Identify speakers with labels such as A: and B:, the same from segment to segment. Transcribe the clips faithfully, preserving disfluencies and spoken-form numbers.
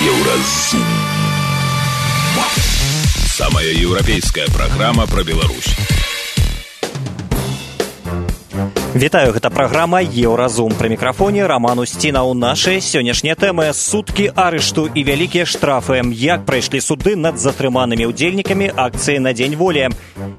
A: Еўразум. Самая еўрапейская праграма пра Беларусь.
B: Вітаю, гэта праграма Еўразум. Пры мікрафоне Роман Устінаў. Нашы сённяшнія тэмы: суткі арышту і вялікія штрафы. Як прайшлі суды над затрыманымі ўдзельнікамі акцыі на Дзень волі.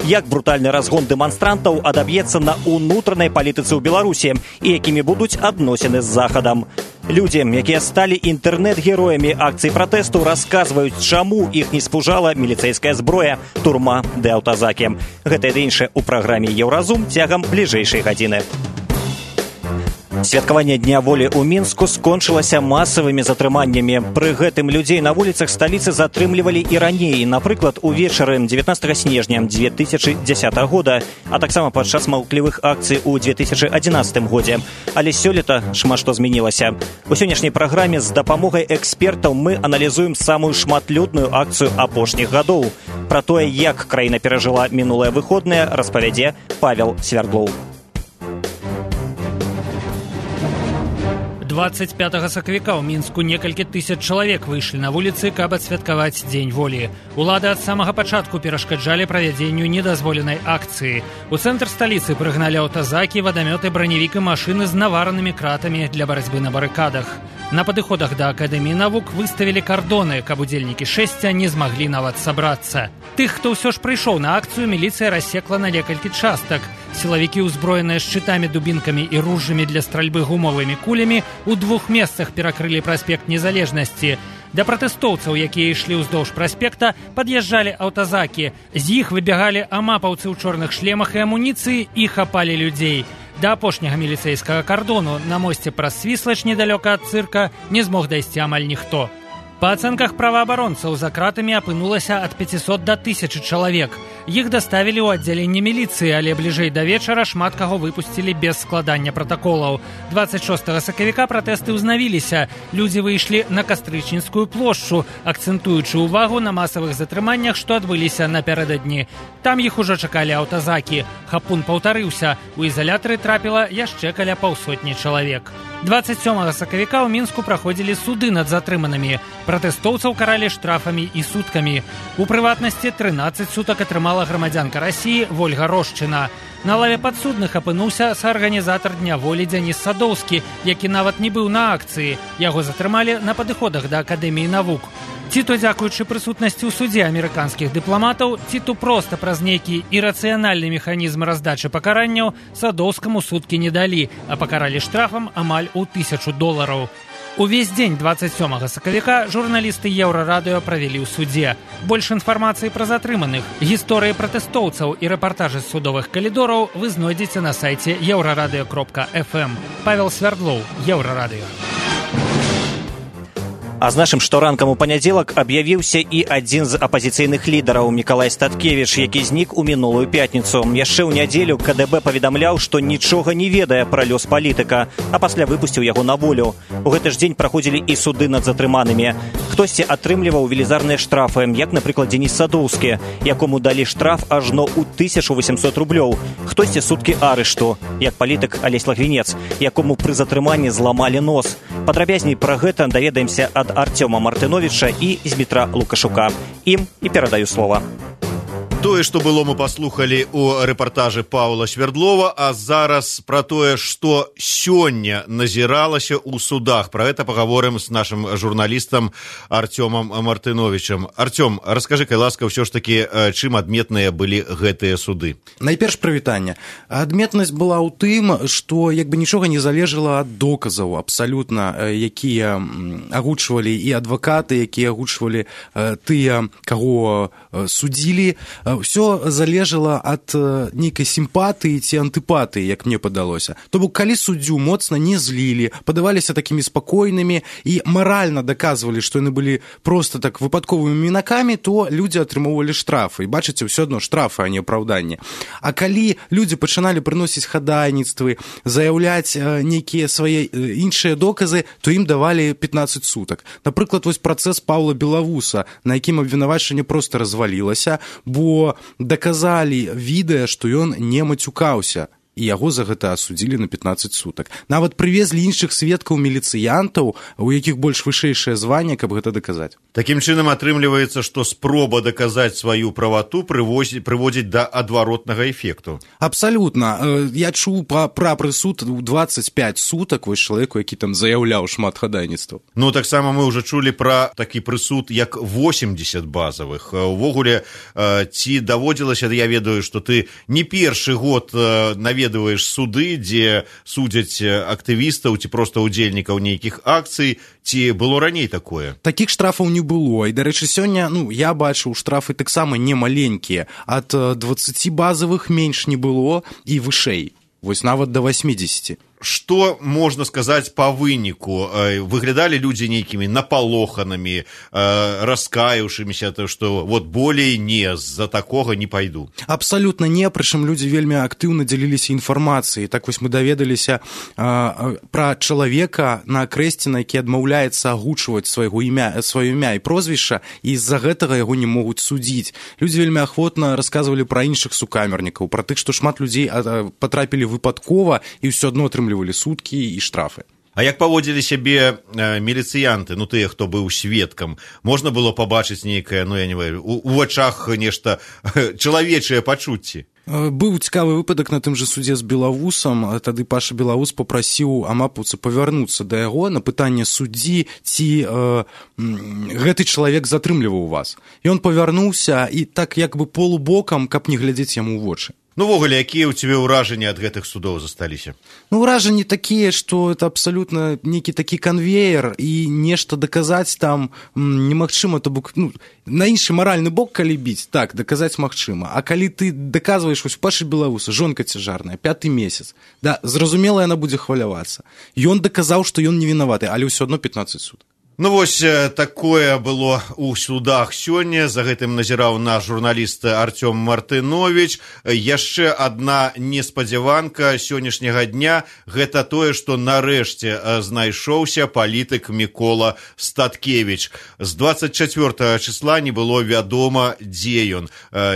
B: Як брутальны разгон дэманстрантаў адаб'ецца на ўнутранай палітыцы ў Беларусі і якімі будуць адносіны з Захадам. Людзі, якія сталі інтэрнэт-героямі акцый пратэсту, расказваюць, чаму іх не спужала міліцэйская зброя, турма ды аўтазакі. Гэта і іншае ў праграме Еўразум цягам бліжэйшай гадзіны. Святкаванне Дня волі ў Мінску скончылася масавымі затрыманнямі. Пры гэтым людзей на вуліцах сталіцы затрымлівалі і раней, напрыклад, увечары дзевятнаццатага снежня дзве тысячы дзесятага года, а таксама падчас маўклівых акцый у дзве тысячы адзінаццатым годзе. Але сёлета шмат што змянілася. У сённяшняй праграме з дапамогай экспертаў мы аналізуем самую шматлюдную акцыю апошніх гадоў. Пра тое, як краіна перажыла мінулыя выходныя, распавядзе Павел Свердлоў.
C: двадцать пятага сакавіка ў Мінску некалькі тысяч чалавек выйшлі на вуліцы, каб адсвяткаваць Дзень волі. Улады ад самага пачатку перашкаджалі правядзенню недазволенай акцыі. У цэнтр сталіцы прыгналі аўтазакі, вадамёты, браневік і машыны з наваранымі кратамі для барацьбы на барыкадах. На падыходах да Акадэміі навук выставілі кардоны, каб удзельнікі шэсця не змаглі нават сабрацца. Тых, хто ўсё ж прыйшоў на акцыю, міліцыя рассекла на некалькі частак. Сілавікі, узброеныя шчытамі, дубінкамі і ружжамі для стральбы гумовымі кулямі, у двух месцах перакрылі праспект Незалежнасці. Да пратэстоўцаў, якія ішлі ўздоўж праспекта, пад'язджалі аўтазакі. З іх выбягалі амапаўцы ў чорных шлемах і амуніцыі і хапалі людзей. Да апошняга міліцэйскага кардону на мосце праз Свіслач недалёка ад цырка не змог дайсці амаль ніхто. Па ацэнках праваабаронцаў, за кратамі апынулася ад пяцісот да тысячы чалавек. Іх даставілі ў аддзяленне міліцыі, але бліжэй да вечара шмат каго выпусцілі без складання пратаколаў. двадцать шостага сакавіка пратэсты ўзнавіліся. Людзі выйшлі на Кастрычніцкую плошчу, акцэнтуючы ўвагу на масавых затрыманнях, што адбыліся напярэдадні. Там іх ужо чакалі аўтазакі. Хапун паўтарыўся. У ізалятары трапіла яшчэ каля паўсотні чалавек. двадцать сёмага сакавіка ў Мінску праходзілі суды над затрыманымі. Пратэстоўцаў каралі штрафамі і суткамі. У прыватнасці трынаццаць сутак атрымала грамадзянка Расіі Вольга Рошчына. На лаве падсудных апынуўся саарганізатар Дня волі Дзяніс Садоўскі, які нават не быў на акцыі. Яго затрымалі на падыходах да Акадэміі навук. Ці то дзякуючы прысутнасці ў судзе амерыканскіх дыпламатаў, ці то проста праз нейкі ірацыянальны механізм раздачы пакаранняў, Садоўскаму суткі не далі, а пакаралі штрафам амаль у тысячу долараў. Увесь дзень двадцать сёмага сакавіка журналісты Еўрарадыё правялі ў судзе. Больш інфармацыі пра затрыманых, гісторыі пратэстоўцаў і рэпартажы з судовых калідораў вы знойдзеце на сайце еўрарадыё кропка эф эм. Павел Свердлоў, Еўрарадыё. А з нашым шторанкам у панядзелак аб'явіўся і адзін з апазіцыйных лідараў Мікалай Статкевіч, які знік у мінулую пятніцу. Яшчэ ў нядзелю ка дэ бэ паведамляў, што нічога не ведае пра лёс палітыка, а пасля выпусціў яго на волю. У гэты ж дзень праходзілі і суды над затрыманымі. Хтосьці атрымліваў велізарныя штрафы, як, напрыклад, Дзеніс Садоўскі, якому далі штраф ажно ў тысячу восемьсот рублёў. Хтосьці суткі арышту, як палітык Алесь Лагвінец, якому пры затрыманні зламалі нос. Падрабязней пра гэта даведаемся ад Артёма Мартыновіча і Змітра Лукашука. Ім і перадаю слова.
D: Тое, што было, мы паслухалі ў рэпартажы Паўла Свердлова, а зараз пра тое, што сёння назіралася ў судах. Пра гэта пагаворым з нашым журналістам Артёмам Мартыновічам. Артём, раскажы, кай ласка, ўсё ж такі, чым адметныя былі гэтыя суды?
E: Найперш прывітанне. Адметнасць была ў тым, што як бы нічога не залежала ад доказаў абсалютна, якія агучвалі і адвакаты, якія агучвалі тыя, каго судзілі. Все залежала ад нейкай сімпатыі ці антыпатыі, як мне падалося. То бок, калі суддзю моцна не злілі, падаваліся такімі спакойнымі і маральна даказвалі, што яны былі проста так выпадковымі мінакамі, то людзі атрымоўвалі штрафы. І бачыце, ўсё адно штрафы, а не апраўданне. А калі людзі пачыналі прыносіць хадайніцтвы, заяўляць нейкія свае іншыя доказы, то ім давалі пятнаццаць сутак. Напрыклад, вось працэс Паўла Белавуса, на якім абвінавачанне проста развалілася, бо даказалі відэа, што ён не мацюкаўся. і яго за гэта асудзілі на пятнаццаць сутак. Нават прывезлі іншых сведкаў міліцыянтаў, у якіх больш вышэйшае званне, каб гэта даказаць.
D: Такім чынам атрымліваецца, што спроба даказаць сваю правату прыводзіць да адваротнага эфекту.
E: Абсалютна. Я чуў пра, пра прысуд у дваццаць пяць сутак вось чалавеку, які там заяўляў шмат хадайніцтваў.
D: Ну, таксама мы ўжо чулі пра такі прысуд, як восемьдесят базавых. Увогуле, ці даводзілася, я ведаю, што ты не першы год наведваеш суды, дзе судзяць актывістаў ці проста удзельнікаў нейкіх акцый, ці было раней такое?
E: Такіх штрафаў не было. І, дарэчы, сёння, ну, я бачыў, штрафы таксама не маленькія. Ад дваццаці базавых менш не было і вышэй. Вось нават да восьмидесяти.
D: Што можна сказаць па выніку? Выглядалі людзі нейкімі напалоханымі, раскаяўшымися, што вот болей не, з-за такога не пайду?
E: Абсалютна не, прычым людзі вельмі актыўна дзяліліся інфармацыяй. Так вось мы даведаліся а, пра чалавека на акрэсце, які адмаўляецца агучваць свайго імя, сваё імя і прозвішча, і з-за гэтага яго не могуць судзіць. Людзі вельмі ахвотна расказвалі пра іншых сукамернікаў, пра тых, што шмат людзей патрапілі выпадкова і ўсё адно атрымлівалі суткі і штрафы.
D: А як паводзілі сябе э, міліцыянты, ну тыя, хто быў сведкам? Можна было пабачыць нейкае, ну я не ведаю, у, у вачах нешта чалавечыя пачуцці?
E: Быў цікавы выпадак на тым жа судзе з Белавусам. Тады Паша Белавус попрасіў амапаўца павярнуцца да яго на пытанне суддзі, ці э, гэты чалавек затрымліваў вас. Ён павярнуўся і так як бы полубокам, каб не глядзець яму ў вочы.
D: Ну, ввогуле, якія ў цябе ўражанні ад гэтых судоў засталіся?
E: Ну, ўражанні такія, што это абсалютна нейкі такі канвеер, і нешта даказаць там немагчыма, то бок, ну, на іншы маральны бок, калі біць, так, даказаць магчыма. А калі ты даказваеш вось Пашы Белавуса, жонка цяжарная, пяты месяц, да, зразумела, яна будзе хвалявацца. Ён даказаў, што ён не вінаваты, але ўсё адно пятнаццаць сутак.
D: Ну вось такое было ў судах сёння. За гэтым назіраў наш журналіст Артём Мартынович. Яшчэ адна неспадзяванка сённяшняга дня – гэта тое, што нарэшце знайшоўся палітык Мікола Статкевіч. З двадцать чацвёртага числа не было вядома, дзе ён.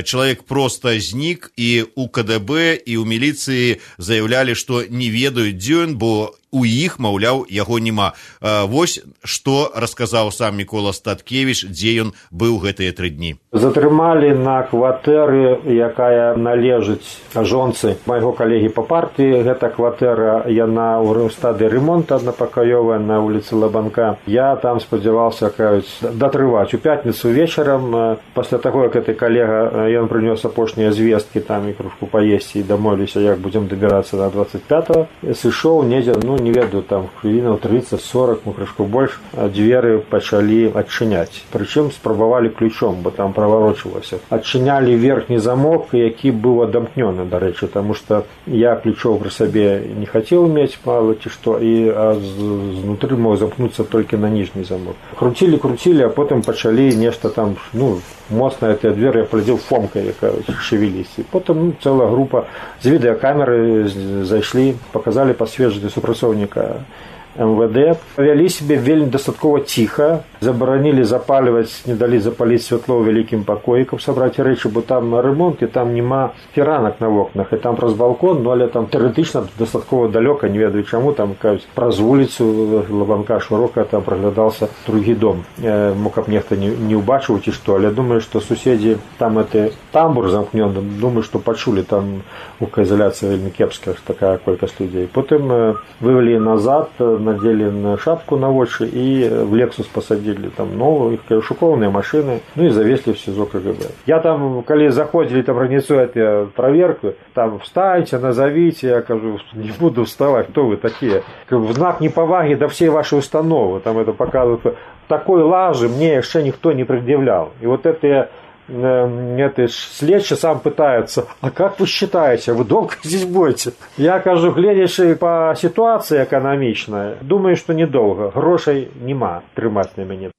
D: Чалавек проста знік, і ў ка дэ бэ, і ў міліцыі заявлялі, што не ведаюць, дзе ён, бо у іх, маўляў, яго няма. Вось што расказаў сам Мікола Статкевіч, дзе ён быў гэтыя тры дні.
F: Затрымалі на кватэры, якая належыць жонцы майго калегі па партыі. Гэта кватэра, яна ў стадыі ремонта аднапакаёвая на вуліцы Лабанка. Я там спадзяваўся, кажуць, датрываць. У пятніцу вечарам, пасля таго, як гэты калега, ён прынёс апошнія звесткі, там і кружку паесці, і дамовіліся, як будзем дабірацца да двадцать пятого. Сышоў недзе, ну, не ведаю, там хвілінаў тридцать сорок, ну, крышку больш, дзверы пачалі адчыняць. Прычым спрабавалі ключом, бо там праварочвалася. Адчынялі верхні замок, які быў адамкнёны, дарэчы, таму што я ключоў пры сабе не хацеў мець, мала ці што, і а знутры мог замкнуцца толькі на ніжні замок. Круцілі, круцілі, а потым пачалі нешта там, ну, моцна гэтыя дзверы, я паглядзеў, фомкай, якая шевеліся. Потым, ну, цэлая група з відэакамеры зайшлі, паказалі пасведчанне супрацоўніка эм вэ дэ, вялі себе вельмі дастаткова ціха, забаранілі запальваць, не далі запаліць святло ў вялікім пакоі, каб сабраць рэчы, бо там ремонт, і там няма фіранак на вокнах, і там праз балкон, ну, але там тэоретычна дастаткова далёка, не ведаю чаму, там, кажуць, праз вуліцу Лабанка шырока там праглядаўся другі дом. Э, мо каб нехта не, не ўбачыў ці што, але думаю, што суседзі там гэты тамбур замкнёны, думаю, што пачулі там гукаізаляцыя вельмі кепская, такая колькасць людзей. Потым э, вывели назад, надели на шапку на вочы и в Lexus посадили там новые, шукованные машины, ну и завезли в СИЗО ка гэ бэ. Я там, когда заходили, там организуют проверку, там встаньте, назовите, я кажу, не буду вставать, кто вы такие? В знак неповаги до всей вашей установы, там это показывают, такой лажи мне еще никто не предъявлял. И вот это это следчий сам пытается, а как вы считаете, вы долго здесь будете? Я кажу, глядячи по ситуации экономичной, думаю, что недолго, грошей нема трымаць на мяне.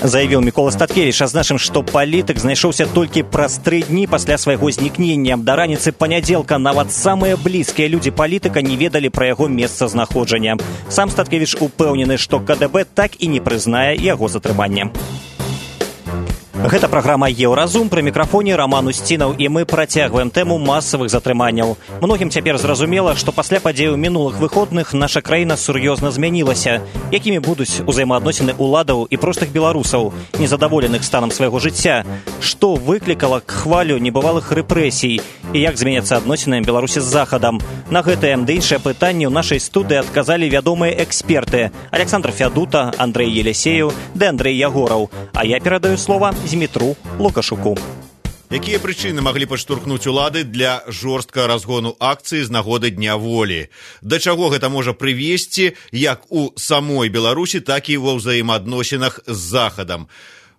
B: Заявіў Мікола Статкевіч, адзначым, што палітык знайшоўся толькі праз тры дні пасля свайго знікнення. Да раніцы панядзелка нават самыя блізкія людзі палітыка не ведалі пра яго месцазнаходжання. Сам Статкевіч упэўнены, што ка дэ бэ так і не прызнае яго затрымання. Гэта праграма «Еўразум», пры мікрафоне Раман Усцінаў, і мы працягваем тэму масавых затрыманняў. Многім цяпер зразумела, што пасля падзеяў мінулых выходных наша краіна сур'ёзна змянілася. Якімі будуць узаемаадносіны ўладаў і простых беларусаў, незадаволеных станам свайго жыцця? Што выклікала хвалю небывалых рэпрэсій? І як зменяцца адносіны Беларусі з Захадам? На гэтае ды іншыя пытанні ў нашай студыі адказалі вядомыя эксперты Александр Фядута, Андрэй Елисеев ды Андрэй Ягораў. А я перадаю слова Змітру Лукашуку.
D: Якія прычыны маглі падштурхнуць улады для жорсткага разгону акцыі з нагоды Дня волі? Да чаго гэта можа прывесці як у самой Беларусі, так і ва ўзаемаадносінах з Захадам?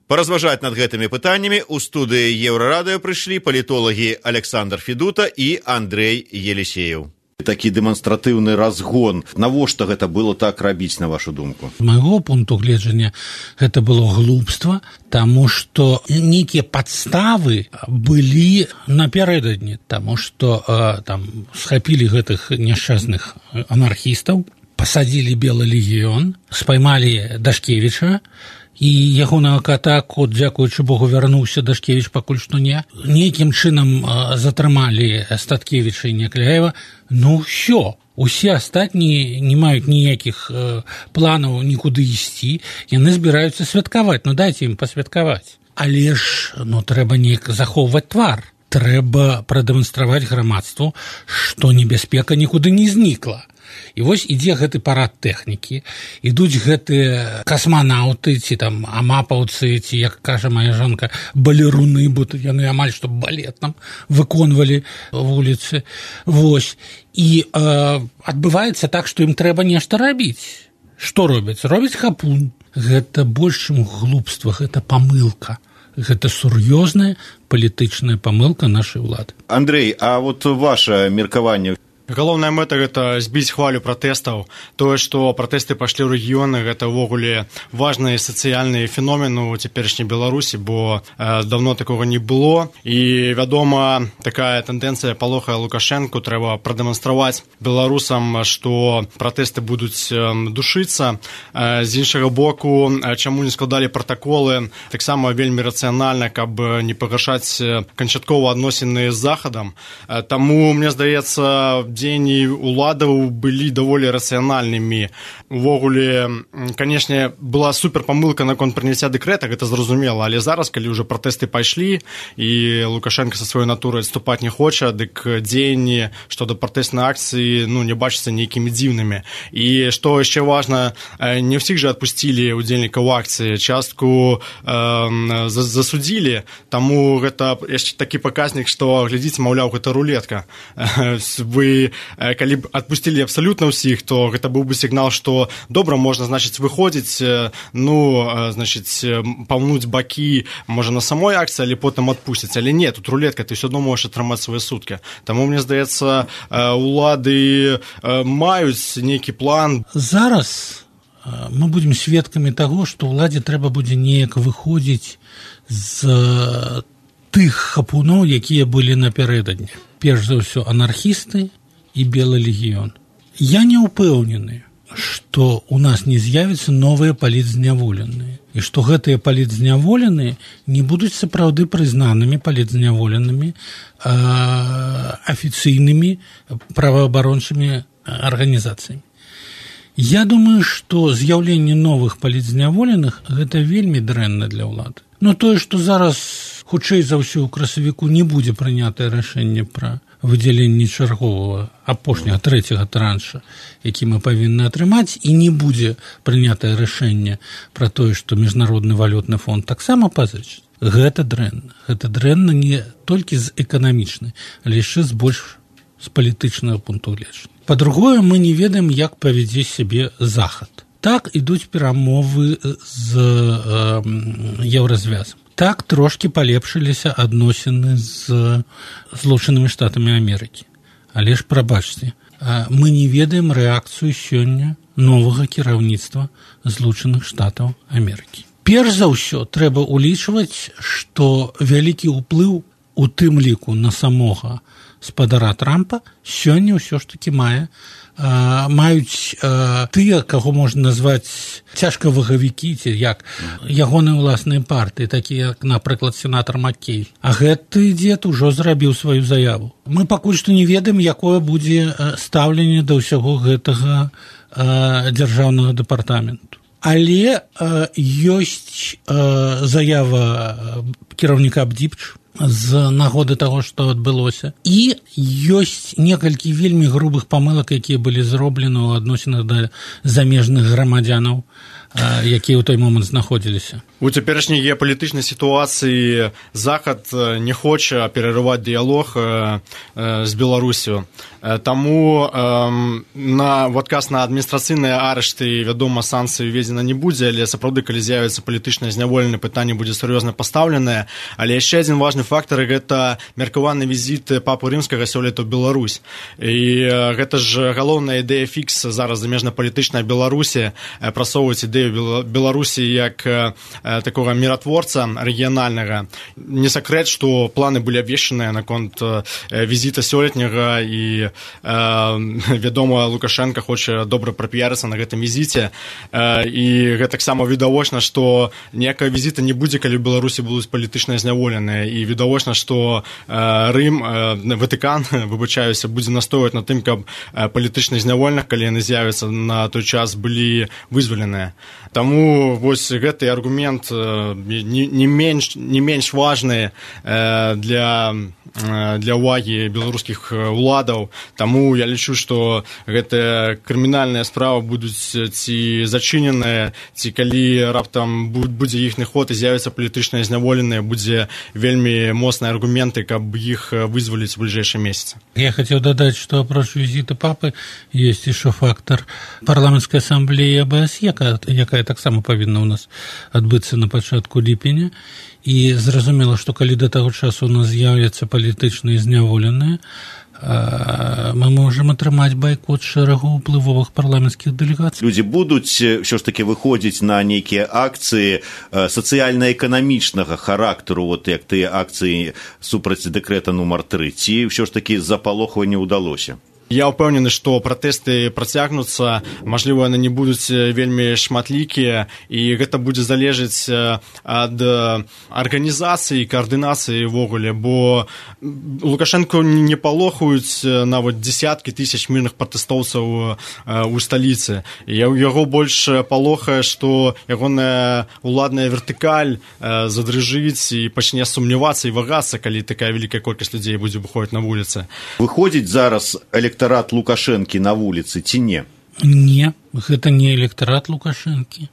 D: Паразважаць над гэтымі пытаннямі ў студыі Еўрарадыё прыйшлі палітолагі Александр Федута і Андрэй Елисеев. Такі дэманстратыўны разгон. Навошта гэта было так рабіць, на вашу думку?
G: З майго пункту гледжання гэта было глупства, таму што нейкія падставы былі напярэдадні, таму што э, там схапілі гэтых няшчасных анархістаў, пасадзілі Белы легіён, спаймалі Дашкевіча, і ягонага кота, кот, дзякуючы Богу, вярнуўся, Дашкевіч пакуль што не. Нейкім чынам затрымалі Статкевіча і Някляева. Ну, ўсё. Усе астатнія не маюць ніякіх э, планаў нікуды ісці. Яны збіраюцца святкаваць. Ну, дайце ім пасвяткаваць. Але ж, ну, трэба неяк захоўваць твар. Трэба прадэманстраваць грамадству, што небяспека нікуды не знікла. І вось ідзе гэты парад тэхнікі, ідуць гэтыя касманаўты, ці там амапаўцы, ці, як кажа моя жонка, балеруны, бо яны амаль што балет там выконвалі вуліцы. Вось. І э, адбываецца так, што ім трэба нешта рабіць. Што робяць? Робяць хапун. Гэта больш, чым глупства, гэта памылка. Гэта сур'ёзная палітычная памылка нашай улады.
D: Андрэй, а вот ваше меркаванне?
H: Галоўная мэта – гэта збіць хвалю пратэстаў. Тое, што пратэсты пайшлі ў рэгіёны, гэта ўвогуле важны сацыяльны феномен у цяперашняй Беларусі, бо э, давно такога не было. І, вядома, такая тэндэнцыя палохае Лукашэнку. Трэба прадэманстраваць беларусам, што пратэсты будуць э, душыцца. Э, з іншага боку, э, чаму не складалі пратаколы, таксама вельмі рацыянальна, каб не пагаршаць канчаткова адносіны з Захадам. Э, таму, мне здаецца, дзеянні уладаў былі даволі рацыянальнымі. Увогуле, канешне, была суперпамылка наконт прыняцця дэкрэта, гэта зразумела, але зараз, калі ўжо пратэсты пайшлі і Лукашенко са сваёй натурай адступаць не хоча, дык дзеянні што да пратэснай акцыі, ну, не бачацца нейкімі дзіўнымі. І што яшчэ важна, не ўсіх жа адпусцілі удзельнікаў акцыі, частку э, засудзілі, таму гэта яшчэ такі паказнік, што, глядзіце, маўляў, гэта рулетка. Вы калі б адпусцілі абсалютна ўсіх, то гэта быў бы сігнал, што добра, можна, значыць, выходзіць, ну, значыць, паўнуць бакі, можа, на самой акцыі, але потым адпусцяць. Але не, тут рулетка, ты ўсё адно можаш атрымаць свае суткі. Таму, мне здаецца, улады маюць нейкі план.
G: Зараз мы будзем сведкамі таго, што ўладзе трэба будзе неяк выходзіць з тых хапуноў, якія былі напярэдадні. Перш за ўсё, анархісты і Белы легіён. Я не ўпэўнены, што ў нас не з'явяцца новыя палітзняволеныя, і што гэтыя палітзняволеныя не будуць сапраўды прызнанымі палітзняволенымі афіцыйнымі праваабарончымі арганізацыямі. Я думаю, што з'яўленне новых палітзняволеных гэта вельмі дрэнна для ўлады. Но тое, што зараз хутчэй за ўсё ў красавіку не будзе прынятае рашэнне пра выдзяленне чарговага апошняга трэцяга транша, які мы павінны атрымаць, і не будзе прынятае рашэнне пра тое, што міжнародны валютны фонд таксама пазычыць. Гэта дрэнна. Гэта дрэнна не толькі з эканамічнай, але яшчэ з больш з палітычнага пункту гледжання. Па-другое, мы не ведаем, як павядзе сябе Захад. Так ідуць перамовы з э, Еўразвязам. Так трошкі палепшыліся адносіны з Злучанымі Штатамі Амерыкі. Але ж, прабачце, мы не ведаем рэакцыю сёння новага кіраўніцтва Злучаных Штатаў Амерыкі. Перш за ўсё, трэба ўлічваць, што вялікі ўплыў у тым ліку на самога спадара Трампа сёння ўсё ж такі мае а, маюць а, тыя, каго можна назваць цяжкавагавікі, ці як ягоныя ўласныя партыі, такія як, напрыклад, сенатар Маккей. А гэты дзед ужо зрабіў сваю заяву. Мы пакуль што не ведаем, якое будзе стаўленне да ўсяго гэтага а, дзяржаўнага дэпартаменту. Але а, ёсць а, заява кіраўніка Бдзіпч з нагоды таго, што адбылося. І ёсць некалькі вельмі грубых памылак, якія былі зроблены ў адносінах да замежных грамадзянаў, якія ў той момант знаходзіліся.
H: У цяперашняй геапалітычнай сітуацыі Захад не хоча перарываць дыялог з Беларусю. Таму на в адказ на адміністрацыйныя арышты, вядома, санкцыі введзена не будзе, але сапраўды, калі з'явіцца палітычнае зняволенне, пытанне будзе сур'ёзна пастаўленае. Але яшчэ адзін важны фактар – гэта меркаваны візіт папы рымскага сёлета ў Беларусь. І гэта ж галоўная ідэя фікс зараз замежнапалітычная Беларусі, прасоўваць ідэю Беларусі як такого миротворца рэгіянальнага. Не сакрэт, што планы былі абвешчаныя наконт візіта сёлетняга, і вядома, Лукашенко хоча добра прапіярыцца на гэтым візіце, і гэтаксама відавочна, што ніякага візіта не будзе, калі ў Беларусі будуць палітычныя зняволеныя, і відавочна, што Рым, Ватыкан, выбачаюся, будзе настойваць на тым, каб палітычных зняволеных, калі яны з'явяцца на той час, былі вызваленыя. Таму вось гэты аргумент не, не менш, не менш важны для, для увагі беларускіх уладаў. Таму я лічу, што гэтая крымінальная справа будуць ці зачыненыя, ці калі раптам будзе іхны ход і з'явяцца палітычныя зняволеныя, будзе вельмі моцныя аргументы, каб іх вызваліць у бліжэйшыя месяцы.
G: Я хотел додать, что апроч визита папы есть еще фактор парламентской ассамблеи АБС, якая, якая таксама павінна у нас адбыцца на пачатку ліпеня. І зразумела, што калі да таго часу у нас з'являцца палітычныя зняволеныя, мы можем атрымаць байкот шэрагу ўплывовых парламенцкіх дэлегацый.
D: Людзі будуць ўсё ж такі выходзіць на нейкія акцыі сацыяльна-эканамічнага характару, вот як тыя акцыі супраць дэкрэта нумар тры, ці ўсё ж такі запалохва не ўдалося?
H: Я ўпэўнены, што пратэсты працягнуцца, мажліва, яны не будуць вельмі шматлікія, і гэта будзе залежаць ад арганізацыі і каардынацыі ўвогуле, бо Лукашенко не палохаюць нават дзесяткі тысяч мірных пратэстоўцаў у сталіцы. Яго больш палохае, што ягоная уладная вертыкаль задрыжыць і пачне сумнявацца і вагацца, калі такая вялікая колькасць людзей будзе выходзіць на вуліцы.
D: Выходзіць зараз электорат Лукашэнкі на вуліцы ці не?
G: Не, гэта не электорат Лукашэнкі.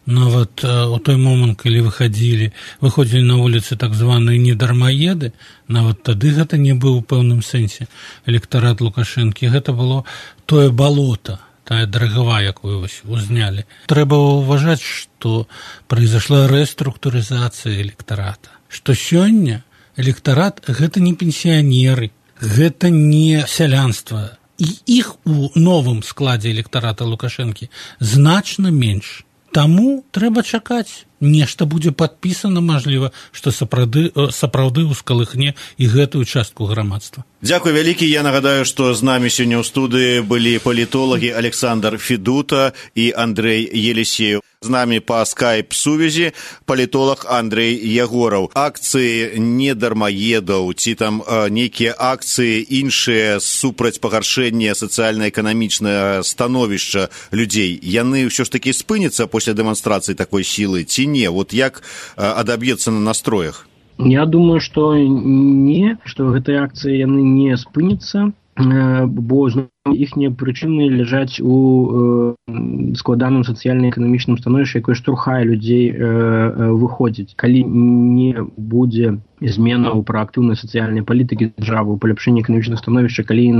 G: Нават у той момант, калі выходзілі, выходзілі на вуліцы так званыя недармаеды, нават тады гэта не быў у пэўным сэнсе электорат Лукашэнкі. Гэта было тое балота, тая дарагава, якую узнялі. Трэба ўважаць, што произошла рэструктурызацыя электората. Што сёння электорат гэта не пенсіянеры, гэта не сялянства. І іх у новым складзе электората Лукашэнкі значна менш. Таму трэба чакаць. Нешта будзе падпісана, мажліва, што сапраўды, сапраўды ўскалыхне і гэтую частку грамадства.
D: Дзякуй вялікі. Я нагадаю, што з намі сёння ў студыі былі палітолагі Александр Федута і Андрей Елисеев. З намі па скайп-сувязі палітолог Андрей Ягораў. Акцыі недармаедаў, ці там э, нейкія акцыі іншыя супраць пагаршэння сацыяльна-эканамічнага становішча людзей, яны ўсё ж такі спыняцца пасля дэманстрацыі такой сілы, ці не? Вот як э, адаб'ецца на настроях?
I: Я думаю, што не, што гэтыя акцыі яны не спыняцца, бо іхнія прычыны ляжаць у э, складаным сацыяльна-эканамічным становішчы, якое штурхае людзей э, выходзіць. Калі не будзе змена ў праактыўнай сацыяльнай палітыкі дзяржавы, у паляпшэнні эканамічных становішча, калі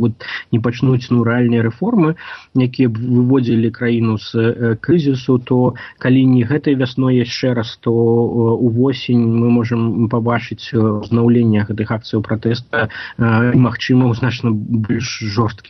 I: вот, не пачнуць ну, рэальныя рэформы, якія б выводзілі краіну з э, крызісу, то калі не гэтай вясной яшчэ раз, то э, увосень мы можам пабачыць узнаўленне гэтых акцыяў пратэста э, магчыма, ў значна больш жорсткім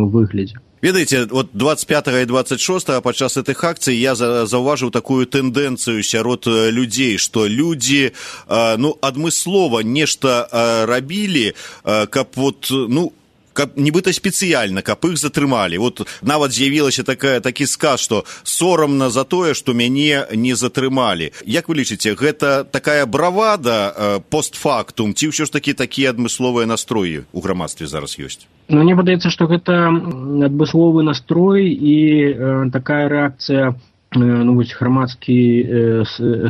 I: выглядзе.
D: Ведаеце, вот двадцать пятого и двадцать шестого падчас гэтых акцый я заўважыў такую тэндэнцыю сярод людзей, што людзі ну, адмыслова нешта рабілі, каб вот, ну, каб нібыта спецыяльна, каб іх затрымалі. Вот нават з'явілася такая такі сказ, што сорамна за тое, што мяне не затрымалі. Як вы лічыце, гэта такая бравада э, постфактум, ці ўсё ж такі такія адмысловыя настроі ў грамадстве зараз ёсць?
I: Ну, мне падаецца, што гэта адмысловы настрой і э, такая рэакцыя ну, вось, грамадскі э,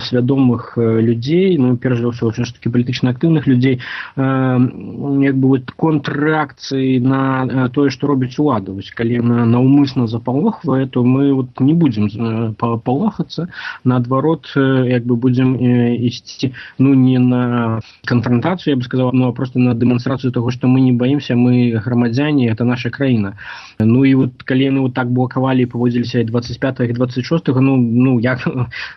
I: свядомых э, людзей, ну, перш за ўсё, ўсё ж такі палітычна актыўных людзей, э, як бы вот контррэакцыі на э, тое, што робіць улада. Вось, калі яна наўмысна запалохвае, то мы вот не будзем э, палохацца, наадварот, э, як бы будзем э, ісці, ну, не на канфрантацыю, я бы сказаў, ну, а просто на дэманстрацыю таго, што мы не баімся, мы грамадзяне, это наша краіна. Ну, і вот, калі яны вот так блакавалі і паводзіліся і дваццаць пятага, і дваццаць шостага, ну, ну, я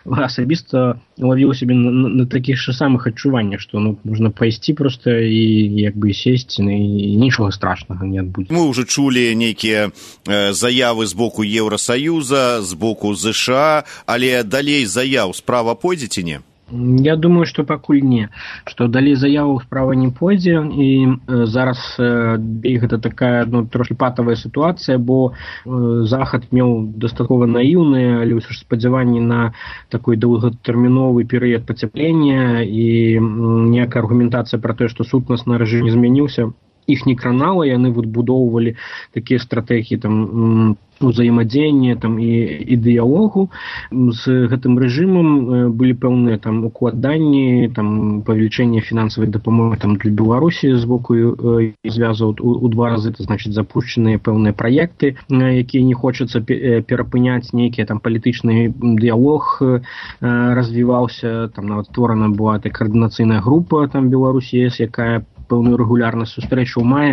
I: асабіста лавіў сябе на, на, на такіх же самых адчуваннях, што ну, можна пайсці проста і як бы сесці, ну, і нічога страшнага не адбудзе.
D: Мы ўжо чулі нейкія э, заявы з боку Еўрасаюза, з боку ЗША, але далей заяў справа пойдзе ці не?
I: Я думаю, што пакуль не, што далей заяву справа не пойдзе, і э, зараз э, гэта такая ну, трошки патавая сітуацыя, бо э, Захад меў дастаткова наіўныя, але ўсё ж спадзяванні на такой доўгатэрміновы перыяд пацяплення і э, ніякая аргументацыя пра тое, што сутнасны рэжым не змяніўся, іх не кранала, яны вот будоўвалі такія стратэгіі там узаемадзеяння там і, і дыялогу з гэтым рэжымам былі пэўныя там укладанні, там павелічэнне фінансавай дапамогі там для Беларусі з боку э, звязаў у, у два разы, это значыць запушчаныя пэўныя праекты, якія не хочацца перапыняць, нейкія там палітычны дыялог э, развіваўся, там нават створана была такая каардынацыйная група там Беларусі, якая пэўную рэгулярнасць сустрэчу ў мае,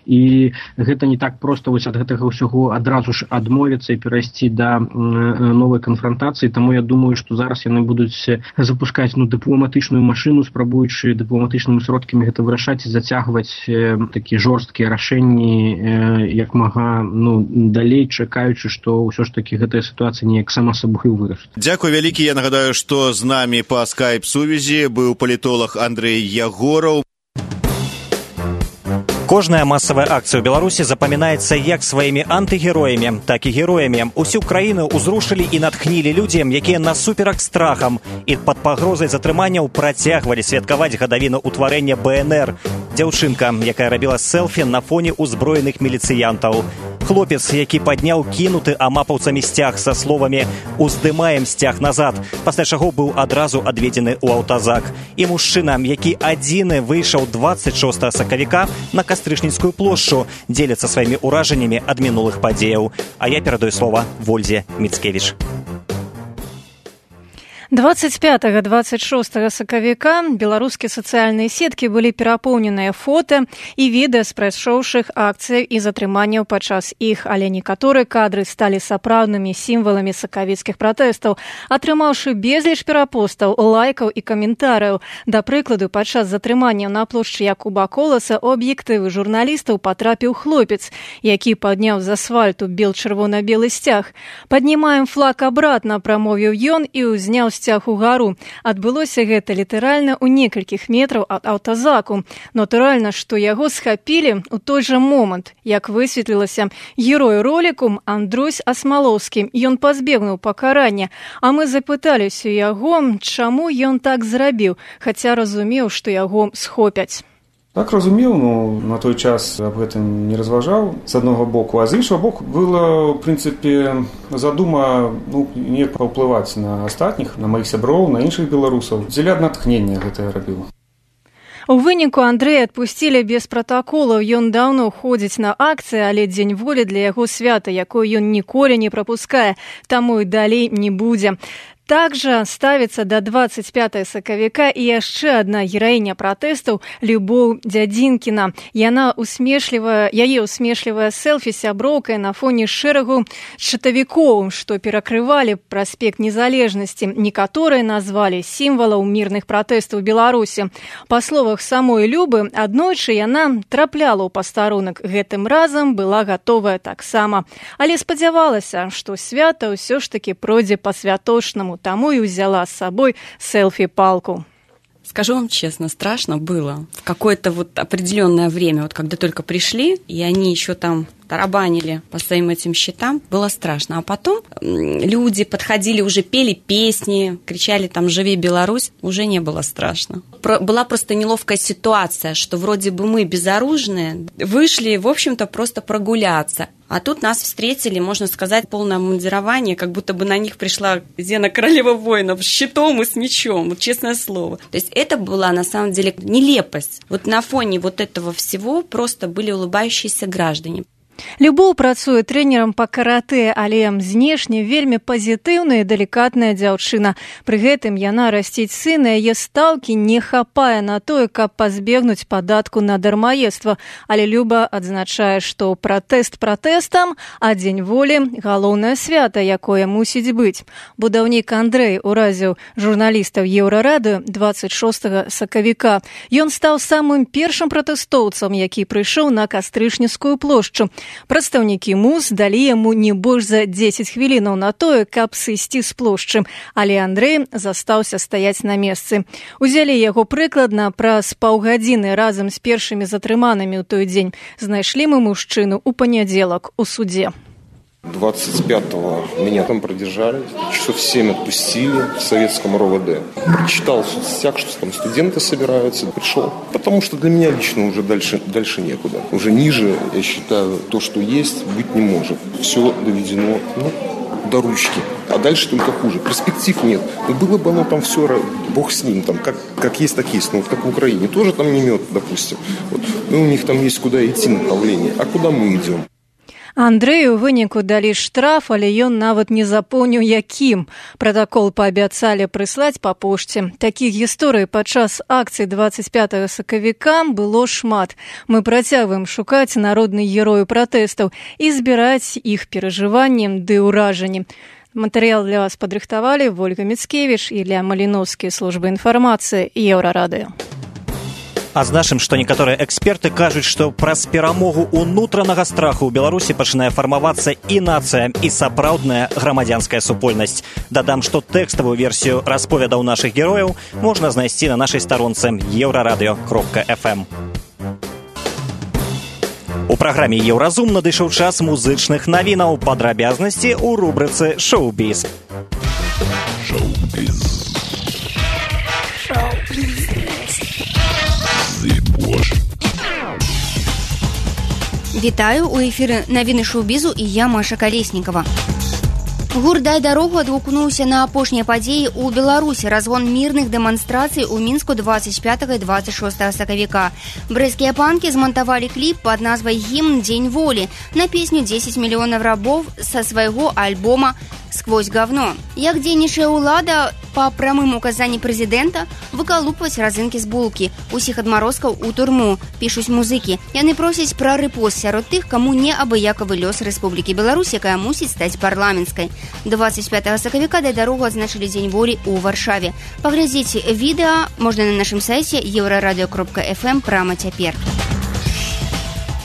I: і гэта не так проста вось ад гэтага ўсяго адразу ж адмовіцца і перайсці да э, новай канфрантацыі, таму я думаю, што зараз яны будуць запускаць ну, дыпламатычную машыну, спрабуючы дыпламатычнымі сродкамі гэта вырашаць і зацягваць э, такія жорсткія рашэнні э, як мага ну, далей, чакаючы, што ўсё ж такі гэтая сітуацыя неяк сама сабою вырашыць.
D: Дзякуй вялікі, я нагадаю, што з намі па скайп-сувязі быў палітолог Андрэй Ягораў.
B: Кожная масавая акцыя ў Беларусі запамінаецца як сваімі антыгероямі, так і героямі. Усю краіну ўзрушылі і натхнілі людзі, якія насуперак страхам і пад пагрозай затрыманняў працягвалі святкаваць гадавіну ўтварэння бэ эн эр. Дзяўчынка, якая рабіла селфі на фоне ўзброеных міліцыянтаў. Хлопец, які падняў кінуты амапаўцамі сцяг са словамі «Уздымаем сцяг назад», пасля чаго быў адразу адведзены ў аўтазак. І мужчына, які адзіны выйшаў дваццаць шостага сакавіка на Кастрычніцкую плошчу, дзеліцца сваімі ўражаннямі ад мінулых падзеяў. А я перадаю слова Вользе Міцкевіч.
J: двадцать пятага двадцать шостага сакавіка беларускія сацыяльныя сеткі былі перапоўненыя фота і відэа з прайшоўшых акцый і затрыманняў падчас іх, але некаторыя кадры сталі сапраўднымі сімваламі сакавіцкіх пратэстаў, атрымаўшы безліч перапостаў, лайкаў і каментарыяў. Да прыкладу, падчас затрыманняў на плошчы Якуба Коласа у аб'ектывы журналістаў патрапіў хлопец, які падняў з асфальту бел-чырвона-белы сцяг. «Паднімаем флаг абратна», прамовіў ён і ўзняў сцяг угару. Адбылося гэта літаральна ў некалькіх метраў ад аўтазаку. Натуральна, што яго схапілі ў той жа момант. Як высветлілася, герой роліку Андрусь Асмалоўскі. Ён пазбегнуў пакарання, а мы запыталіся яго, чаму ён так зрабіў, хаця разумеў, што яго схопяць.
K: Так разумеў, ну, на той час аб гэтым не разважаў, з аднаго боку, а з іншага боку была, в прынцыпе, задума ну, неяк паўплываць на астатніх, на маіх сяброў, на іншых беларусаў. Дзеля натхнення гэта я рабіў.
J: У выніку Андрэя адпусцілі без пратаколаў. Ён даўно ходзіць на акцыі, але дзень волі для яго свята, якое ён ніколі не прапускае, таму і далей не будзе. Также ставится до двадцать пятага сакавіка і яшчэ адна гераіня пратэстаў Любоў Дзядзінкіна. Яна усмешлівая, яе усмешлівая селфі сяброўкай на фоне шэрагу чатавікоў, што перакрывалі праспект Незалежнасці. Некаторыя назвалі сімвалаў мірных пратэстаў Беларусі. Па словах самой Любы, аднойчы яна трапляла ў пастарунак. Гэтым разам была гатовая таксама. Але спадзявалася, што свята ўсё ж такі пройдзе па-святочнаму, таму і ўзяла з сабой селфі-палку.
L: Скажу вам честно, страшно было. В какое-то вот определенное время, вот когда только пришли, и они еще там тарабанили по своим этим счетам, было страшно. А потом люди подходили, уже пели песни, кричали там «Живи Беларусь», уже не было страшно. Про- была просто неловкая ситуация, что вроде бы мы безоружные, вышли, в общем-то, просто прогуляться. А тут нас встретили, можно сказать, полное обмундирование, как будто бы на них пришла Зена королева воинов с щитом и с мечом, вот честное слово. То есть это была на самом деле нелепость. Вот на фоне вот этого всего просто были улыбающиеся граждане.
J: Любоў працуе трэнерам па каратэ, але знешне вельмі пазітыўная і далікатная дзяўчына. Пры гэтым яна расціць сына, яе стаўкі не хапае на тое, каб пазбегнуць падатку на дармаедства. Але Люба адзначае, што пратэст пратэстам, а дзень волі – галоўнае свята, якое мусіць быць. Будаўнік Андрэй уразіў журналістаў Еўрарадыё дваццаць шостага сакавіка. Ён стаў самым першым пратэстоўцам, які прыйшоў на Кастрычніцкую плошчу. Прадстаўнікі МУЗ далі яму не больш за дзесяць хвілінаў на тое, каб сысці з плошчы, але Андрэй застаўся стаяць на месцы. Узялі яго прыкладна праз паўгадзіны разам з першымі затрыманымі ў той дзень. Знайшлі мы мужчыну ў панядзелак у суде.
M: двадцать пятого меня там продержали, часов семь отпустили в советском РОВД. Прочитал в соцсетях, что там студенты собираются, пришел. Потому что для меня лично уже дальше, дальше некуда. Уже ниже, я считаю, то, что есть, быть не может. Все доведено, ну, до ручки. А дальше только хуже. Перспектив нет. Ну, было бы оно там все, бог с ним, там, как, как есть, так есть. Ну, вот как в Украине. Тоже там не мед, допустим. Вот. Ну, у них там есть куда идти направление. А куда мы идем?
J: Андрэю ў выніку далі штраф, але ён нават не запомніў якім. Пратакол паабяцалі прыслаць па пошце. Такіх гісторый падчас акцыі дваццаць пятага сакавіка было шмат. Мы працягваем шукаць народных герояў пратэстаў і збіраць іх перажыванні ды ўражанні. Матэрыял для вас падрыхтавалі Вольга Міцкевіч і Ілля Маліноўскі, служба інфармацыі Еўрарадыё.
B: Адзначым, што некаторыя эксперты кажуць, што праз перамогу ўнутранага страху ў Беларусі пачынае фармавацца і нацыя, і сапраўдная грамадзянская супольнасць. Дадам, што тэкставую версію расповедаў нашых герояў можна знайсці на нашай старонцы еўрарадыё кропка эф эм. У праграме «Еўразум» надышоў час музычных навінаў, падрабязнасці ў рубрыцы «Шоу-біз».
A: Шоу-біз. Шоу-біз.
N: Вітаю, у эфіры навіны шоу-бізу і я, Маша Калеснікава. Гурт «Дай дарогу» адгукнуўся на апошнія падзеі ў Беларусі, разгон мірных дэманстрацый у Мінску дваццаць пятага і дваццаць шостага сакавіка. Брэсцкія панкі змантавалі кліп пад назвай «Гімн Дзень волі» на песню «дзесяць мільёнаў рабоў» са свайго альбома «Сквозь говно». Як дзейнічае ўлада па прамым указанні прэзідэнта выкалупваць разынкі з булкі, усіх адмарозкаў у турму, пішуць музыкі. Яны просяць пра рэпост сярод тых, каму не абыякавы лёс Рэспублікі Беларусь, якая мусіць стаць парламенцкай. дваццаць пятага сакавіка «Дай дарогу» адзначылі Дзень волі ў Варшаве. Паглядзіце відэа можна на нашым сайце еўрарадыё кропка эф эм прама цяпер.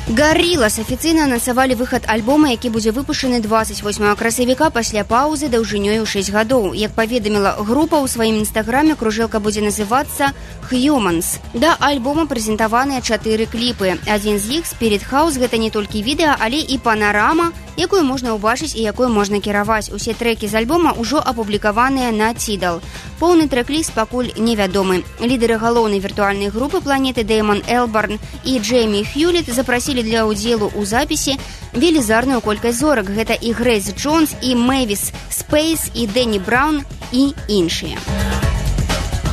N: Гаррилас афіцыйна анансавалі выхад альбома, які будзе выпушчаны дваццаць восьмага красавіка пасля паўзы даўжынёй у шэсць гадоў. Як паведаміла група ў сваім інстаграме, кружэлка будзе называцца «Humans». Да альбома прэзентаваныя чатыры кліпы. Адзін з іх «Spirit House» гэта не толькі відэа, але і панарама, якую можна ўбачыць і якую можна кіраваць. Усе трэкі з альбома ўжо апублікаваныя на Tidal. Поўны трэк-ліст пакуль невядомы. Лідары галоўнай віртуальнай групы планеты Дэймон Элбарн і Джеймі Хьюліт запрасілі для ўдзелу ў запісе велізарную колькасць зорак. Гэта і Грэйс Джонс, і Мэвіс Спейс, і Дэнні Браўн, і іншыя.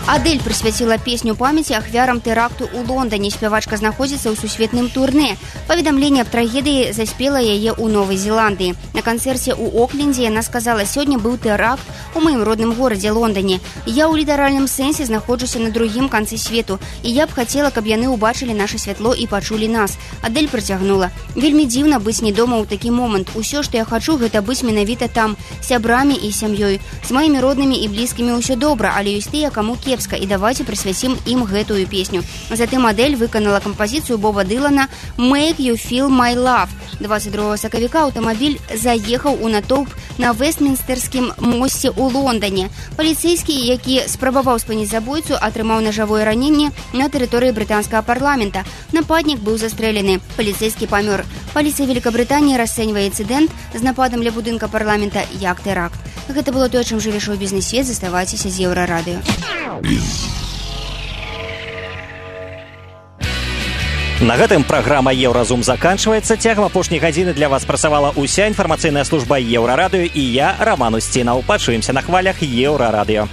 N: Адэль прысвяціла песню памяці ахвярам тэракту ў Лондоне. Спявачка знаходзіцца ў сусветным турне. Паведамленне аб трагедыі заспела яе ў Новай Зеландыі. На канцэрце ў Оклендзе яна сказала: «Сёння быў тэракт у маім родным горадзе Лондоне. Я ў літаральным сэнсе знаходжуся на другім канцы свету, і я б хацела, каб яны ўбачылі наша святло і пачулі нас». Адель працягнула: «Вельмі дзіўна быць не дома ў такі момант. Усё, што я хачу, гэта быць менавіта там, сябрамі і сям'ёй. З маімі роднымі і блізкімі ўсё добра, але ёсць тыя, каму кепска, і давайте прысвяцім ім гэтую песню». Затым Адель выканала кампазіцыю Боба Дылана «Make You Feel My Love». двадцать другого сакавіка аўтамабіль заехаў у натоўп на Вестмінстэрскім мосце ў Лондане. Паліцэйскі, які спрабаваў спыніць забойцу, атрымаў нажавое раненне на тэрыторыі брытанскага парламента. Нападнік быў застрэлены. Паліцэйскі памёр. Паліцыя Великабрытаніі расцэньвае інцыдэнт з нападам ля будынка парламента як тэракт. Гэта было тое, чым жыве шоу-бізнес-свет. Заставайцеся з Еўрарадыё.
B: На гэтым праграма «Еўразум» заканчваецца. Цягам апошняй гадзіны для вас працавала ўся інфармацыйная служба Еўрарадыё і я, Раман Усцінаў. Пачуемся на хвалях Еўрарадыё.